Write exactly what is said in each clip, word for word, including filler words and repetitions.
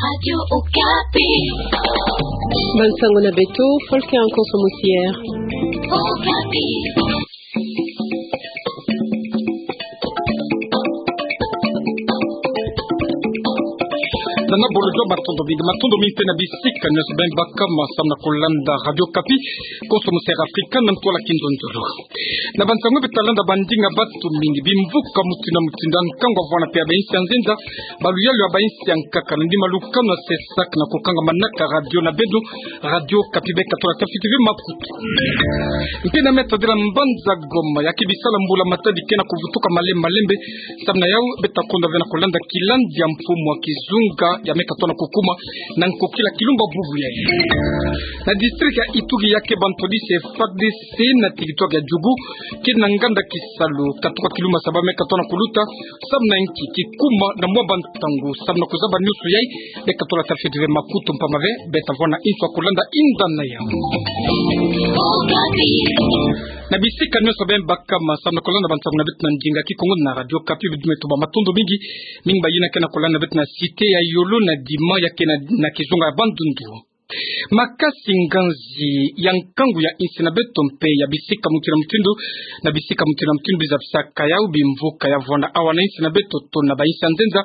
Radio Okapi. Bansango na beto, Volker Nkonso Mosier. Okapi. Nana bolo jua matondo mingi, matondo mingi mpe na bisika nyonso beno baka ma samu na kolanda Radio Okapi, Nkonso Mosier Afrika, na ntwala kinzonzolo. Na bansango beto talanda, ba ndinga batu mingi bimvuka mutindu na mutindu, nkangu avwanda mpe ya bainsi ya nzenza, baluyalu ya bainsi ya nkaka, na ndima lukanu ya CESAC na kukanga manaka radio na beno, Radio Okapi, beka tula tafiti ve makutu. Mpe na meta dela mbanza Goma, ya ke bisala mbula matadi ke na kuvutuka male-, malembe, samu na yau beta konda ve na kolanda kilandi ya mfumu wa kizunga ya meka tona kukuma na nkokila kilumba bubu yayi. Na district ya Ituri, ya ke bantwadisi ya FARDC na territoire ya Djugu ke na nganda kisalu, katuka kilumba saba meka tona kuluta, samu na nki kikuma na mwa bantangu, samu na kuzaba nyonso yayi, beka tula tafiti ve makutu, mpamba ve beta vwanda inso ya kolanda inda na yau. Na bisika nyonso beno baka ma samu na kolanda bansango na beto na ndinga Kikongo na Radio Okapi, beto me tuba matondo mingi, mingi bayina ke na kolanda beto na cité ya Yolo na Dima, ya ke na, na kizunga ya Bandundu. Makasi nganzi ya nkangu ya insi na beto mpe ya bisika mutindu na mutindu, na bisika mutindu na mutindu bizabisaka yau bimvuka ya vwanda awa na insi na beto to na bainsi ya nzenza,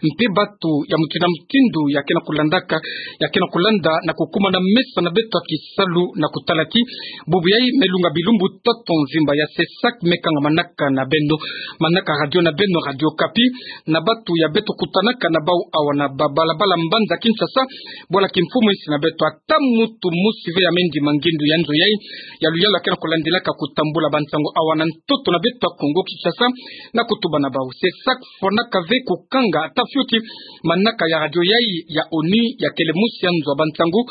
mpe batu ya mutindu na mutindu ya ke na kulandaka, ya ke na kulanda na kukuma na mesa na beto ya kisalu na kutala ti bubu yayi me lunga bilumbu tatu mvimba ya CESAC me kanga manaka na beno, manaka radio na beno, Radio Okapi, na batu ya beto kutanaka na bau awa na babalabala mbanza Kinshasa, bwala kimfumu insi na beto. Ata mutu mosi ve ya me ndima ngindu ya nzo yayi ya luyalu ya ke na kulandilaka kutambula bansango awa na ntoto na beto ya Kongo Kinshasa, na kutuba na bau. CESAC fwanaka ve kukanga ata fioti manaka ya radio yayi ya ONU, ya kele mosi ya nzo ya bansango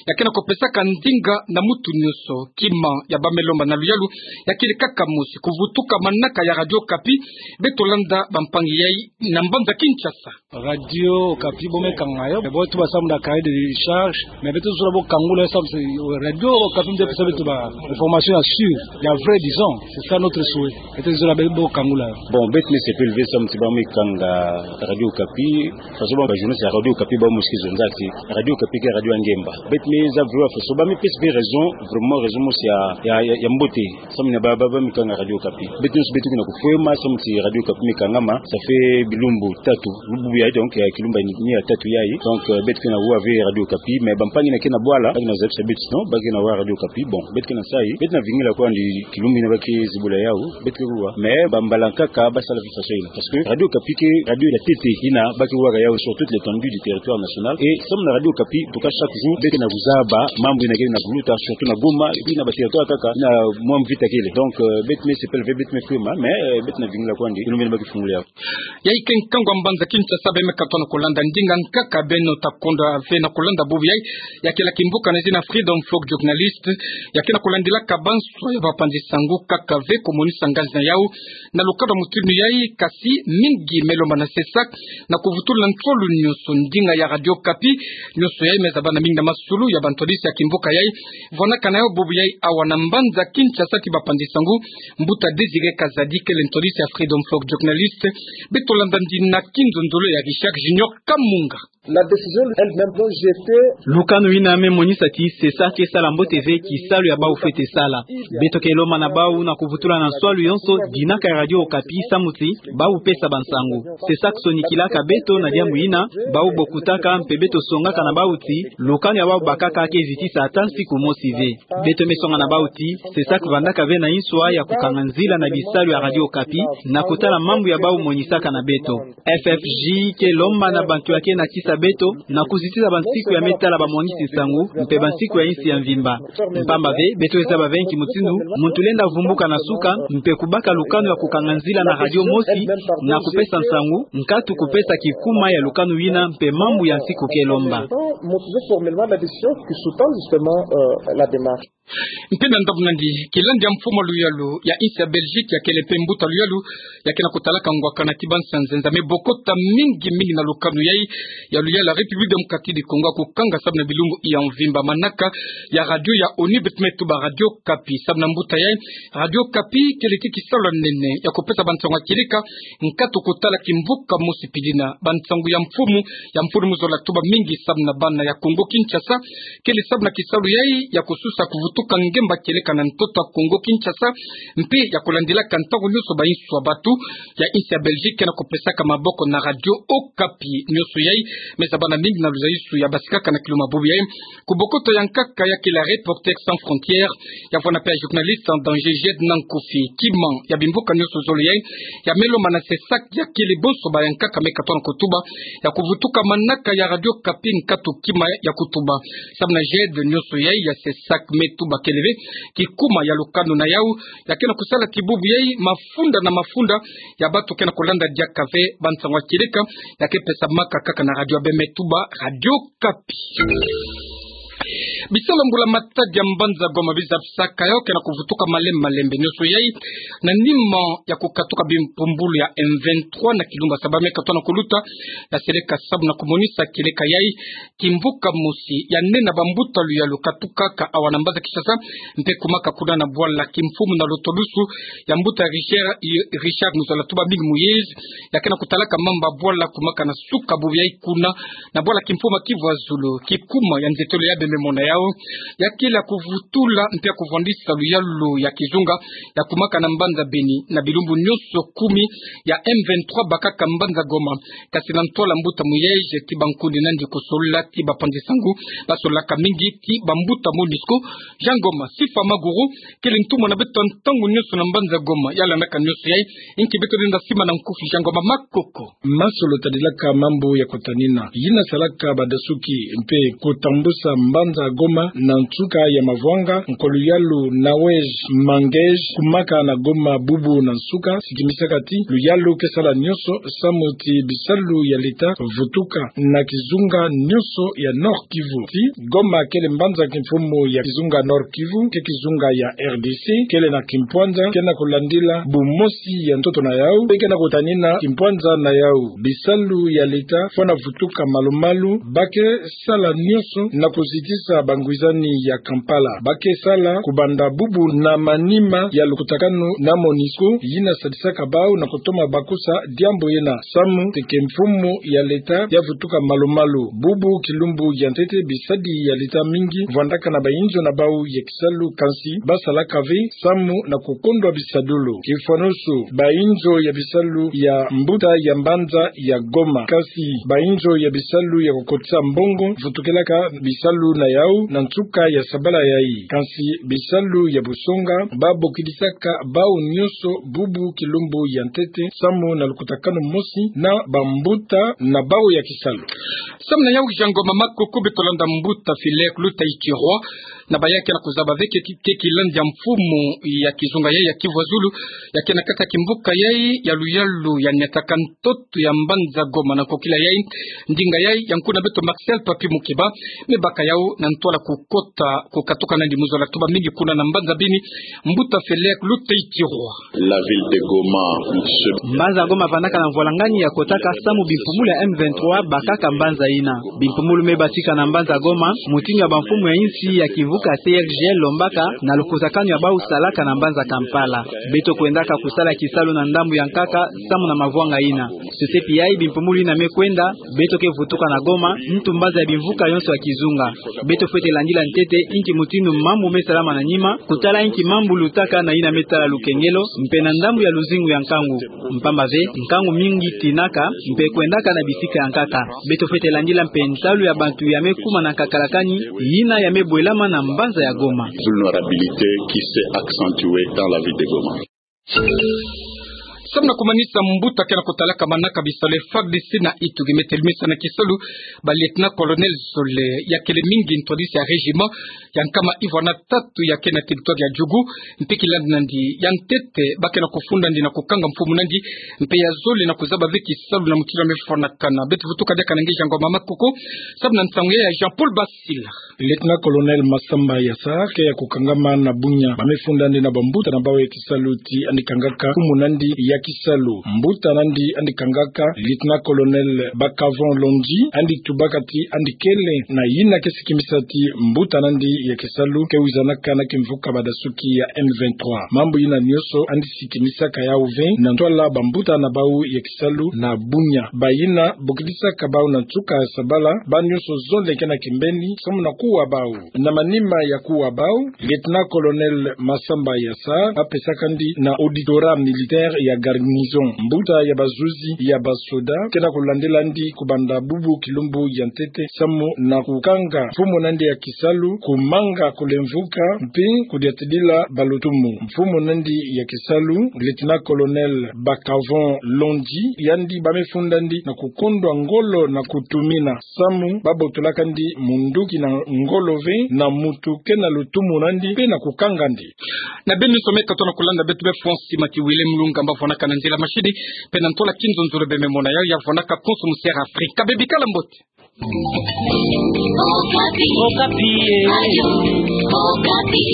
ya ke na kupesaka ndinga na mutu nyonso. Kima ya ba me lomba na luyalu ya kele kaka mosi: kuvutuka manaka ya Radio Okapi. Beto landa bampangi yayi na mbanza Kinshasa. Radio Okapi bo me kanga yo, bo tuba samu na cahier de charge, mais beto zola bo kangula yo samu ti Radio Okapi nde pesa beto ba information ya sûr, ya vrai, disons. C'est ça notre souhait. Beto zola bo kangula yo. Bon, beto me sepela ve samu ti ba me kanga Radio Okapi, faso ba, ba journaliste ya Radio Okapi ba mosi kizonzaki. Radio Okapi ke radio ya ngemba. Beto me zaba ve faso ba me pesa ve raison, vraiment raison mosi ya, ya, ya, ya mbote. Samu na ba, ba, ba me kanga Radio Okapi. Beto nyonso beto ke na kufwema samu ti Radio Okapi me kangama, ça fait bilumbu tatu. Bubu yayi, donc, ya kilumba ni, ni ya tatu yayi. Donc, euh, beto ke na wa ve Radio Okapi, mais bampangi na ke na bwala, ba ke na zabisa beto, non, ba ke na wa Radio Okapi. Bon, beto ke na sayi, beto na vingila kwandi kilumbu yina ba ke zibula yau, beto ke wa. Mais bambala nkaka ba sala ve faso yina. Parce que Radio Okapi ke radio ya ntete yina ba ke waka yau sur toute l'étendue du territoire national. Et samu na Radio Okapi, en tout cas, chaque jour beto ke na kuzaba mambu yina ke na kuluta, surtout na Goma, et puis na ba territoire kaka, na mwa mvita kele. Donc, euh, beto me sepela ve, beto me fwema, mais, euh, beto na vingila kwandi kilumbu yina ba ke fungula yau. Yayi ke nkangu ya mbanza Kinshasa, beno me katuka na kulanda ndinga nkaka beno ta konda ve na kulanda bubu yayi, ya kele ya kimvuka na zina Freedom Folk Journalist, ya ke na kulandilaka banswa ya bapanzi sango kaka ve kumonisa ngazi na yau na lukanu ya mutindu yayi. Kasi mingi me lomba na CESAC na kuvutula na nswalu nyonso ndinga ya Radio Okapi. Nyonso yayi me zabana mingi na masulu ya bantwadisi ya kimvuka yayi vwanaka na yau bubu yayi awa na mbanza Kinshasa ti bapanzi sango. Mbuta Désiré Kazadi kele ntwadisi ya Freedom Folk Journalist. Beto landa ndinga na kinzonzolo ya Richard Junior Kamunga. La décision elle-même doit jeter. Lukanu yina me monisa ti CESAC ke sala mbote ve kisalu ya bau fwete sala. Beto ke lomba na bau na kuvutula na nswalu yonso dinaka ya Radio Okapi samu ti bau pesa bansango. CESAC sonikilaka beto na diambu yina, bau bokutaka mpe beto songaka na bau ti lukanu ya bau bakaka ke zitisa ata nsiku mosi ve. Beto me songa na bau ti CESAC vandaka ve na inswa ya kukanga nzila na bisalu ya Radio Okapi na kutala mambu ya bau monisaka na beto. F F J ke lomba na bantu ya ke na kisa beto na kuzitisa bansiku ya me tala bamwangisi nsango mpe bansiku ya insi ya mvimba. Mpamba ve, beto zaba ve nki mutindu muntu lenda vumbuka na suka mpe kubaka lukanu ya kukanga nzila na radio mosi na kupesa nsango, nkatu kupesa kikuma ya lukanu yina mpe mambu ya nsiku ke lomba. Motiver formellement la décision qui sous-tend justement, euh, la démarche. Mpe na ndambu nandi, kilandi ya mfumu luyalu ya insi ya Belgique, ya kele mpe mbuta luyalu ya ke na kutalaka ngwakana ti bansi ya nzenza, me bokota mingi mingi na lukanu yayi ya Salu ya la République Démocratique du Congo ya kukanga samu na bilumbu ya mvimba manaka ya radio ya ONU, beto me tuba Radio Okapi. Samu na mbuta yai, Radio Okapi kele ti kisalu ya nene ya kupesa bansangu ya kieleka, nkatu kotala kimvuka mosi pili na bansangu ya mfumu, ya mfunu mu zola tuba mingi samu na bana ya Kongo Kinshasa. Kele samu na kisalu yai ya kususa kuvutuka ngemba kieleka na ntoto ya Kongo Kinshasa, mpe ya kolandilaka ntangu nyonso bainsu ya batu ya insi ya Belgique ke na kopesaka maboko na Radio Okapi. Nyonso yai me zaba na mingi na luzaisu ya basikaka na kiluma bubu yai. Ku bokoto ya nkaka ya kele Reporters sans frontières, ya vwanda mpe ya Journalistes en danger, Jed Nankufi. Kima ya bimvuka nyonso zole yai ya me lomba na CESAC ya kele bonso ba ya nkaka me katona kotuba ya kuvutuka manaka ya Radio Okapi, nkatu kima ya kutuba. Samu na Jed, nyonso yai ya CESAC me tuba kele ve kikuma ya lukanu na yau, ya ke na kusala ti bubu yai mafunda na mafunda ya batu ke na kolanda diaka ve bansangu ya kieleka ya ke pesamaka kaka na radio ya bê me tuba Radio Okapi. Bisalu ya mbula matadi ya mbanza Goma biza bisaka yau ke na kuvutuka malembe malembe. Nyonso yai na nima ya kukatuka bimpumbulu ya M vingt-trois na kilumbu ya saba me katona koluta, ya seleka samu na kumonisa kieleka yai kimvuka mosi ya nene na bambuta luyalu katukaka awa na mbanza Kinshasa, mpe kumaka kuna na bwala kimfumu na lotolusu ya mbuta Richard, Richard Muzola Tuba Big Moïse, ya ke na kutalaka mambu ya bwala kumaka na suka bubu yai kuna, na bwala kimfumu ya Kivu ya Zulu. Kikuma ya nzietolo ya bê me mona yau ya kele ya kuvutula mpe ya kuvwandisa luyalu ya kizunga ya kumaka na mbanza Beni na bilumbu nyonso kumi ya M vingt-trois bakaka mbanza Goma. Kasi na ntwala mbuta Moïse, ti bankundi nandi kosolola, ti bapanzi sangu basololaka mingi, ti bambuta MONUSCO. Jean Ngoma, Sifa Maguru kele ntumwa na beto ntangu nyonso na mbanza Goma, ya landaka nyonso yai. Inki beto lenda sima na nkufi? Jean Ngoma Makoko. Masolo tadilaka mambu ya kotanina yina salaka badasuki mpe kotambusa mbanza Goma na nsuka ya mavwanga, nkwa luyalu Nawège Mangège, kumaka na Goma bubu na nsuka, sikimisaka ti luyalu ke sala nyonso samu ti bisalu ya leta vutuka na kizunga nyonso ya Nord-Kivu. Ti Goma kele mbanza kimfumu ya kizunga Nord-Kivu, ke kizunga ya R D C, kele na kimpwanza ke na kulandila bumosi ya ntoto na yau, mpe ke na kutanina kimpwanza na yau. Bisalu ya leta fwana vutuka malu-malu, ba ke sala nyonso na kuzitisa bangwizani ya Kampala. Ba ke sala kubanda bubu na manima ya lukutakanu na MONUSCO, yina sadisaka bau na kutoma bakusa diambu yina. Samu ti kimfumu ya leta ya vutuka malu-malu. Bubu kilumbu ya ntete, bisadi ya leta mingi vwandaka na bainzo na bau ya kisalu, kansi basalaka ve samu na kukondwa bisadulu. Kifwanusu, bainzo ya bisalu ya mbuta ya mbanza ya Goma. Kansi bainzo ya bisalu ya kukotisa mbongo vutukilaka bisalu na yau na nsuka ya sabala yai. Kansi bisalu ya busonga, babokidisaka bau nyonso bubu kilumbu ya ntete samu na lukutakanu mosi na bambuta na bau ya kisalu. Samu na yau Jean Ngoma Makoko, beto landa mbuta Filaire Luta Ichirwa, na baya ke na kuzaba ve ke, ke kilandi ya mfumu ya kizunga yai ya Kivu ya Zulu, ya ke na kata kimvuka yai ya luyalu ya niataka ntoto ya mbanza Goma na nkokila yai, ndinga yai ya nkuna beto Marcel Papi Mukeba, me baka yau na ntwala kukota, kukatuka nandi mu zola tuba mingi kuna na mbanza Beni, mbuta Filaire Luta Ichirwa. La ville de Goma, monsieur. Mbanza Goma vandaka na mvwalangani ya kotaka samu bimpumulu ya M vingt-trois bakaka mbanza yina. Bimpumulu me batika na mbanza Goma, mutindu ya bamfumu ya insi ya kimvuka C R G lombaka na lukutakanu ya bau salaka na mbanza Kampala. Beto kwendaka kusala kisalu na ndambu ya nkaka samu na mavwanga yina. Sosepi yai bimpumulu yina me kwenda, beto ke vutuka na Goma, ntu mbanza ya bimvuka yonso ya kizunga. Beto fwete landila ntete inki mutindu mambu me salama na nima, kutala inki mambu lutaka na yina me tala lukengelo, mpe na ndambu ya luzingu ya nkangu. Mpamba ve, nkangu mingi tinaka, mpe kwendaka na bisika ya nkaka. Beto fwete landila mpe ntalu ya bantu ya me kuma na nkakalakani, yina ya me bwelama na mbanza ya Goma. Vulnérabilité qui s'est accentuée dans la ville de Goma. Samu na kumanisa, mbuta ke na kutalaka manaka bisalu ya F A R D C na Ituri me telemisa na kisalu ba lieutenant-colonel zole ya kele mingi ntwadisi ya régiment ya nkama ivwa na tatu ya ke na territoire ya Djugu, mpe kilandi nandi ya ntete ba ke na kufunda nandi na kukanga mfumu nandi, mpe ya zole na kuzaba ve kisalu na mutindu ya me fwanakana. Beto vutuka diaka na nge Jean Ngoma Makoko, samu na nsangu ya Jean-Paul Basila. Lieutenant-colonel Massamba Yassar ke ya kukangama na Bunia. Ba me funda nandi na bambuta na bau ya kisalu ti yandi kangaka mfumu nandi ya kisalu. Mbuta nandi andi kangaka, Lieutenant-colonel Bakavon Londji, andi tubaka ti andi kele na yina ke sikimisa ti mbuta nandi ya kisalu ke wizanaka na kimvuka badasuki ya M vingt-trois. Mambu yina nionso andi sikimisaka yau ve na ntwala bambuta na bau ya kisalu na Bunia. Bayina bokidisaka bau na nsuka ya sabala, ba nionso zole ke na kimbeni samu na kuwa bau. Na manima ya kuwa bau, Lieutenant-colonel Massamba Yassar apesakandi na auditorat militaire ya garnison mbuta ya bazuzi ya basoda, ke na kulandelandi kubanda bubu kilumbu ya ntete samu na kukanga mfumu nandi ya kisalu, kumanga kulemvuka, mpe kudiatidila balutumu. Mfumu nandi ya kisalu, Lieutenant-colonel Bakavon Londji, yandi bamefundandi na kukondwa ngolo na kutumina samu babotolakandi munduki na ngolo ve na mutu ke na lutumu nandi mpe na kukangandi. Na beno nionso me katoa na kulanda beto be France, Mati Willem Lunga mba vwanaka na nzila mashini, mpe na ntwala kinzonzolo bememona yau ya vwanaka konso mu Sierra Afrika. Bebikala mbote. Okapi. Okapi, eh. Okapi.